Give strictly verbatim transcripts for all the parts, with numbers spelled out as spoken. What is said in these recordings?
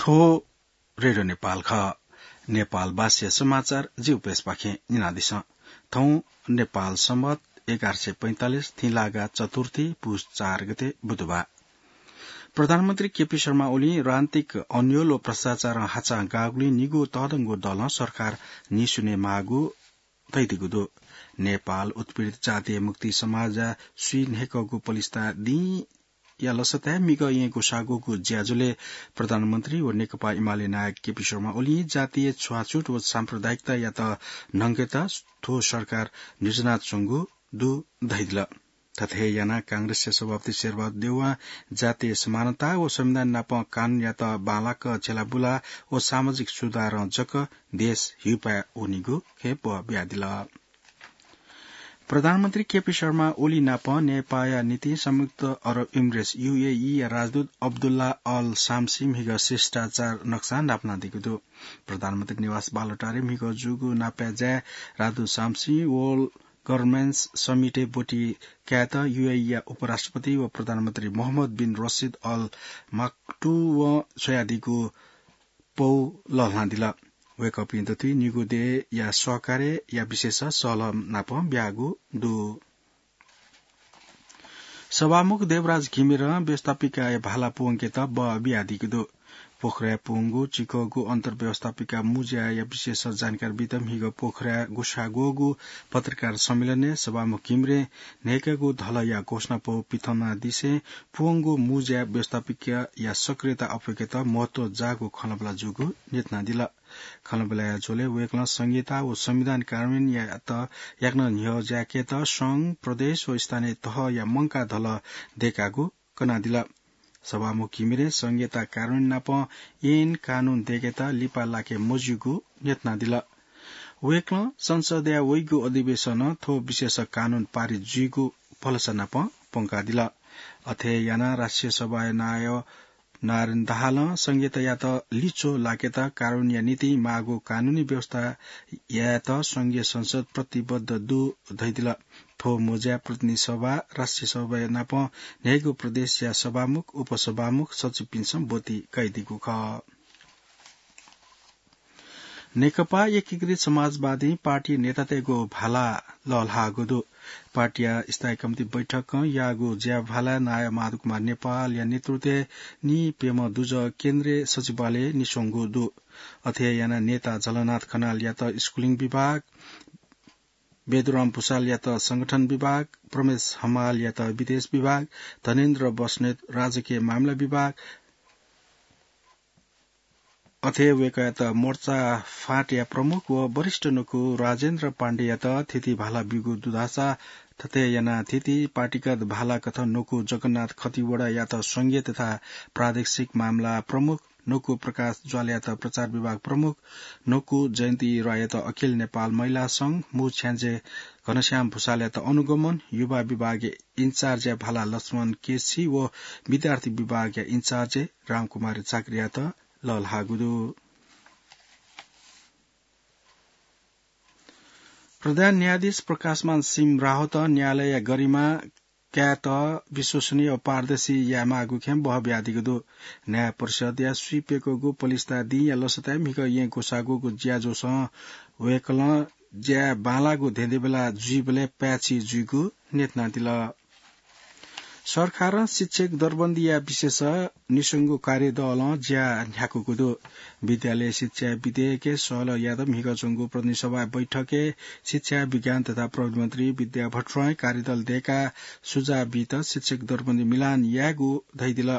थ्व रेडियो नेपाल खः। नेपाल भाषाया समाचार जि उपेशपाखें न्यनादिसँ। थौं नेपाल संवत एघार सय पैंतालिस थिंलागा चतुर्थी पुस चार गते बुधबार। प्रधानमन्त्री केपी शर्मा ओलीं राजनीतिक अन्योल व भ्रष्टाचारं हाचां गाःगुलिं निगू तःधंगु दलं सरकार निस्युने माःगु धयादीगु दु। नेपाल उत्पीडित जातीय मुक्ति समाजया स्वीन्हय्‌कःगु पलिस्था दिंया लसताय् म्हिगः येँ ग्वसाः ग्वःगु ज्याझ्वलय् प्रधानमन्त्री व नेकपा एमाले नायक केपी शर्मा ओलीं जातीय छुवाछुत व साम्प्रदायिकतायात न्हंकेत थ्व सरकार निजनाच्वंगु दु धयादिल। थथे हे यानाः कांग्रेसया सभापति शेरबहादुर देउवां जातीय समानता व संविधान नाप कानूनयात बांलाक झ्यालाबुला व सामाजिक सुधारं जक देश हिउपाय् वनीगु खँय् ब्वः बियादिल। प्रधानमन्त्री केपी शर्मा ओली नाप नेपाःया निंतिं संयुक्त अरब इमिरेट्स, यूएई, या राजदूत अब्दुल्ला अल शामसी म्हिगः शिष्टाचार नक्सा नापलानादीगु दु। प्रधानमन्त्री निवास बालुवाटारय् म्हिगः जूगु नापय् जाय् राजदूत शामसी वर्ल्ड गभर्नेन्स समिटय् ब्वति कायेत यूएई या उपराष्ट्रपति व प्रधानमन्त्री मोहम्मद बिन रसिद अल मक्तुवं छ्वयादीगु पौ लःल्हानादिल। वय्‌कःपिं दथुइ निगू देय्‌या सहकार्यया विषयस सहलह नाप ब्याःगु दु। सभामुख देवराज घिमिरें व्यवस्थापिकाया भाला पूवंकेत बः बियादीगु दु। पोखराय् पूवंगु चिकःगु अन्तर्व्यवस्थापिका मुँज्याया विषयस जानकारी बीत म्हिगः पोखराय् ग्वसाः ग्वःगु पत्रकार सम्मेलनय् सभामुख घिमिरें न्हय्‌कःगु धलया घोषणापौ पिथंनादिसें पूवंगु मुँज्या व्यवस्थापिकाया सक्रियता अप्वय्‌केत महत्व जाःगु खँल्हाबल्हा जूगु न्ह्यथनादिल। खँल्हाबल्हाया झ्वलय् वय्‌कलं संघीयता व संविधान कार्यान्वयनयात याकनं न्ह्यः ज्याकेत संघ, प्रदेश व स्थानीय तहया मंकाः धलः दय्‌कागु कनादिल। सभामुख घिमिरें संघीयता कार्यान्वयन नाप ऐन कानून दय्‌केत लिपा लाके मज्यूगु न्ह्यथनादिल। वय्‌कलं संसदया वइगु अधिवेशनं थ्व विषयस कानून पारित जुइगु भलसा नाप प्वंकादिल। अथे यानाः राष्ट्रिय सभाया नायः नारायण दाहालं संघीयतायात लिच्वः लाकेत कार्यान्वयनया निंतिं माःगु कानूनी व्यवस्था यायेत संघीय संसद प्रतिबद्ध दु धयादिल। थ्व मुँज्याय् प्रतिनिधि सभा, राष्ट्रिय सभाया नाप न्हय्‌गू प्रदेशया सभामुख, उपसभामुख, सचिवपिन्सं ब्वति कयादीगु खः। नेकपा एकीकृत समाजवादी पार्टी नेतातय्‌गु भाला लःल्हाःगु दु। पार्टीया स्थायी कमिटी बैठकं याःगु ज्याभालाय् नायः माधव कुमार नेपालया नेतृत्वय् निप्यम्ह दुजः केन्द्रीय सचिवालय निस्वंगु दु। अथे यानाः नेता झलनाथ खनालयात स्कुलिङ विभाग, बेदुराम भुसालयात संगठन विभाग, प्रमेश हमालयात विदेश विभाग, धनेन्द्र बस्नेत राजकीय मामिला विभाग, अथे वय्‌कःयात मोर्चा फाँटया प्रमुख व वरिष्ठ न्वकू राजेन्द्र पाण्डेयात थीथी भाला ब्यूगु दु धाःसा, थथे यानाः थीथी पार्टीगत भाला कथं न्वकू जगन्नाथ खतिवडायात संघीय तथा प्रादेशिक मामला प्रमुख, न्वकू प्रकाश ज्वालयात प्रचार विभाग प्रमुख, न्वकू जयन्ती रोययात अखिल नेपाल महिला संघ, मू छ्याञ्जे घनश्याम भुसालयात अनुगमन, युवा विभागया इन्चार्जया भाला लक्ष्मण केसी व विद्यार्थी विभागया इन्चार्जय् रामकुमारी चाक्रीयात लःल्हाःगु दु। प्रधान न्यायाधीश प्रकाशमान सिंह राहोतं न्यायालयया गरिमा कायेत विश्वसनीय व पारदर्शी यायेमाःगु खँय् ब्वः बियादीगु दु। न्याय परिषदया स्वीप्यकूगु पलिस्था दिंया लसताय् म्हिगः येँ ग्वसाः ग्वःगु ज्याझ्वलय् वय्‌कलं ज्याय् बांलाःगु धेंधेंबेला जुइबलय् पाय्‌छि जुइगु न्ह्यथनादिल। सरकारं शिक्षक दरबन्दीया विषयस निस्वंगू कार्यदलं ज्या न्ह्याकूगु दु। विद्यालय शिक्षा विधेयकय् सहलह यायेत म्हिगः च्वंगु प्रतिनिधि सभा बैठकय् शिक्षा, विज्ञान तथा प्रविधि मन्त्री विद्या भट्टराईं कार्यदल दय्‌काः सुझाव बीत शिक्षक दरबन्दी मिलान यायेगु धयादिल।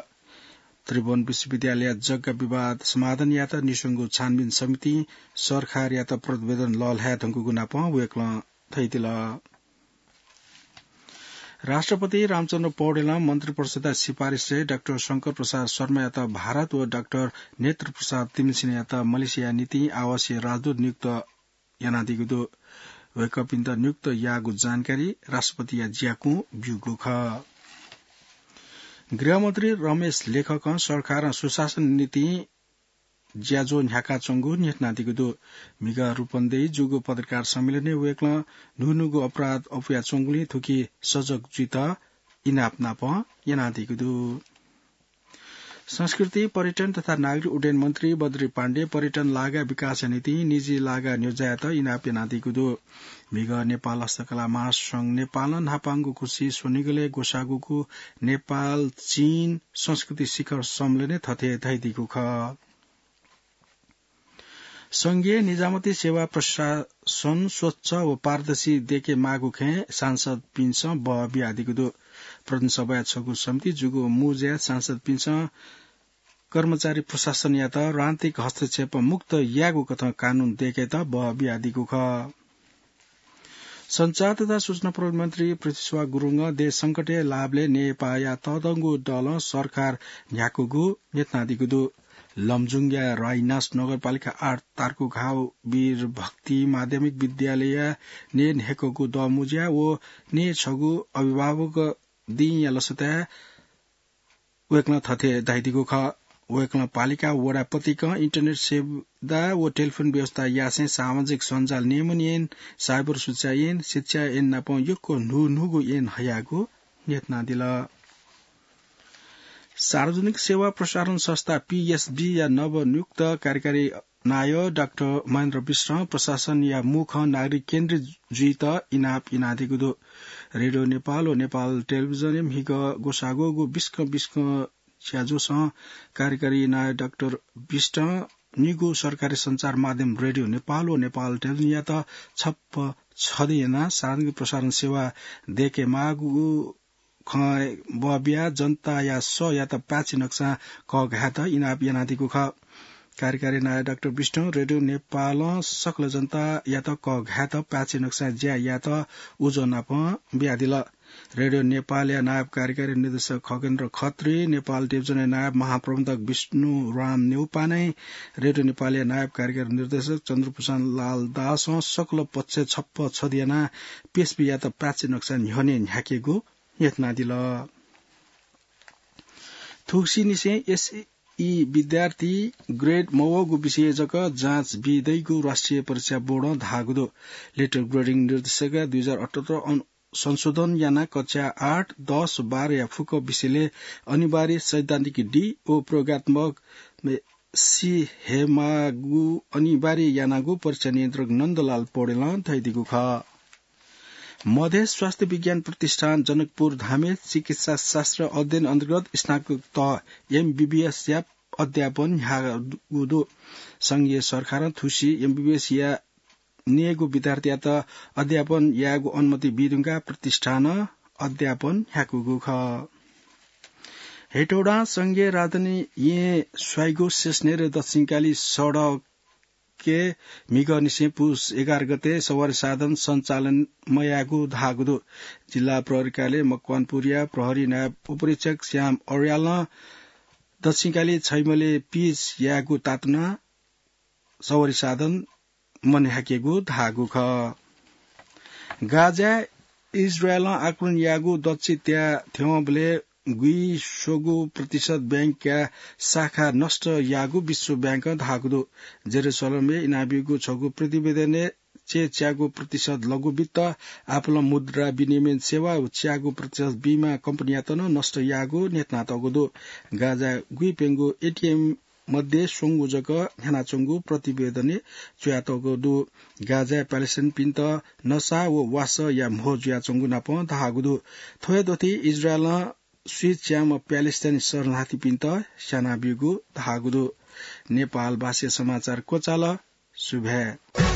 त्रिभुवन विश्वविद्यालयया जग्गा विवाद समाधान यायेत निस्वंगु छानबिन समितिं सरकारयात प्रतिवेदन लःल्हाये धुंकूगु नापं वय्‌कलं धयादिल। राष्ट्रपति रामचन्द्र पौडेलं मन्त्रिपरिषदया सिफारिसय् डाक्टर शंकर प्रसाद शर्मायात भारत व डाक्टर नेत्र प्रसाद तिमसिनायात मलेसियाया निंतिं आवासीय राजदूत नियुक्त यानादीगु दु। वय्‌कःपिन्त नियुक्त याःगु जानकारी राष्ट्रपतिया ज्याकुं ब्यूगु खः। गृहमन्त्री रमेश लेखकं सरकारं सुशासन निंतिं ज्याझ्वः न्ह्याकाच्वंगु न्ह्यथनादीगु दु। म्हिगः रूपन्देही जूगु पत्रकार सम्मेलनय् वय्‌कलं न्हून्हूगु अपराध अप्वयाच्वंगुलिं थुकी सजग जुइत इनाप नाप यानादीगु दु। संस्कृति, पर्यटन तथा नागरिक उड्डयन मन्त्री बद्री पाण्डे पर्यटन लागा विकासया निंतिं निजी लागा न्ह्यज्यायेत इनाप यानादीगु दु। म्हिगः नेपाल हस्तकला महासंघ नेपालं न्हापांगु खुसी स्वनिगलय् ग्वसाःगुगु नेपाल चीन संस्कृति शिखर सम्मेलनय् थथे धयादीगु खः। संघीय निजामती सेवा प्रशासन स्वच्छ व पारदर्शी दयेके माःगु खँय् सांसदपिन्सं बह बियादीगु दु। प्रदेश सभाया छगू समिति जूगु मुँज्याय् सांसदपिन्सं कर्मचारी प्रशासनयात राजनीतिक हस्तक्षेप मुक्त यायेगु कथं कानून दयेकेत बह बियादीगु खः। सञ्चार तथा सूचना प्रविधि मन्त्री पृथ्वीश्वर गुरुङं देश संकटय् लाःबलय् नेपाःया तःधंगु दलं सरकार न्ह्याकूगु न्ह्यथनादीगु दु। लमजुङया राइनास नगरपालिका आठ तार्कुघाव वीर भक्ति माध्यमिक विद्यालयया नये न्ह्याकूगु दमुज्या व नये छगू अभिभावक दिंया लसताय् वय्कलं थथे धयादीगु खः। वय्कलं पालिका वडा पतिकं इन्टरनेट सुविधा व टेलिफोन व्यवस्था यासें सामाजिक सञ्जाल नियमन ऐन, साइबर सुरक्षा ऐन, शिक्षा ऐन नापं यक्व न्हून्हूगु ऐन हयागु न्ह्यथनादिल। सार्वजनिक सेवा प्रसारण संस्था पीएसबी या नवनियुक्त कार्यकारी नायः डाक्टर महेन्द्र विष्टं प्रशासनया मुखं नागरिक केन्द्रित जुइत इनाप यानादीगु दु। रेडियो नेपाल व नेपाल टेलिभिजनय् म्हिगः ग्वसाःगुगु बिस्कं बिस्कं ज्याझ्वलय् कार्यकारी नायः डाक्टर विष्टं निगू सरकारी सञ्चार माध्यम रेडियो नेपाल व नेपाल टेलिभिजनयात छप्पा छधी यानाः सार्वजनिक प्रसारण सेवा दयेके माःगु खँ बबिया जनताया सःयात पाय्छि नकसां कःघायेत इनाप यानादीगु खः। कार्यकारी नायः डाक्टर विष्टं रेडियो नेपालं सकल जनतायात कःघायेत पाय्छि नकसां ज्या यायेत उजं नापं बियादिल। रेडियो नेपालया नायब कार्यकारी निर्देशक खगेन्द्र खत्री, नेपाल टेलिभिजनया नायब महाप्रबन्धक विष्णुराम न्यौपाने, रेडियो नेपालया नायब कार्यकारी निर्देशक चन्द्रभूषण लाल दासं सकल पक्षय् छप्पा छधी यानाः पीएसबीयात पाय्छि नकसां न्ह्यःने न्ह्याकेगु न्ह्यथनादिल। थुगुसिनिसें एसई विद्यार्थी ग्रेड मवःगु विषयय् जक जाँच बी दइगु राष्ट्रिय परीक्षा बोर्डं धाःगु दु। लेटर ग्रेडिङ निर्देशकया दुई हजार अठहत्तर अन-, संशोधन यानाः कक्षा आठ, दस, बाह्रया फुक्क विषयलय् अनिवार्य सैद्धान्तिक डी व प्रयोगात्मक सी हेमागु अनिवार्य यानागु परीक्षा नियन्त्रक नन्दलाल पौडेलं धयादीगु खः। मधेस स्वास्थ्य विज्ञान प्रतिष्ठान जनकपुर धामय् चिकित्सा शास्त्र अध्ययन अन्तर्गत स्नातक तह एमबीबीएसया अध्यापन न्ह्याःगु दु। संघीय सरकारं थुसी एमबीबीएसया नयेगु विद्यार्थीयात अध्यापन यायेगु अनुमति बी धुंकाः प्रतिष्ठानं अध्यापन न्ह्याकूगु खः। हेटौडां संघीय राजधानी येँ स्वाइगु शेषनेर दक्षिणकाली सडक के म्हिगःनिसें पुस एघार गते सवारी साधन सञ्चालन मयायेगु धाःगु दु। जिल्ला प्रहरी कार्यालय मकवानपुरया प्रहरी नायब उपरीक्षक श्याम अर्यालं दक्षिणकाली छैमले पिच यायेगु तातुनाः सवारी साधन मन्ह्याकेगु धाःगु खः। गाजाय् इजरायलं आक्रमण याःगु दच्छि त्याः थ्यंबलय् गुइस्वंगू प्रतिशत बैंकया शाखा नष्ट याःगु विश्व बैंकं धाःगु दु। जेरूसलमय् इनाबीगु छगू प्रतिवेदनय् च्याच्वंगू प्रतिशत लघु वित्त, आपालं मुद्रा विनिमय सेवा व च्याच्वंगू प्रतिशत बीमा कम्पनीयात नं नष्ट याःगु न्ह्यथनातःगु दु। गाजाय् गुइप्यंगू एटीएम मध्ये स्वंगू जक न्ह्यानाच्वंगु प्रतिवेदनय् च्वयातःगु दु। गाजाय् प्यालेस्टाइनपिन्त नसा व वासःया म्हो जुयाच्वंगु नापं धाःगु दु। थ्व हे दथुइ इजरायलं स्वीच्याम्ह प्यालेस्टाइनी शरणार्थीपिन्त स्यानाबीगु धाःगु दु। नेपालभाषाय् समाचार क्वचाल। सुभाय्।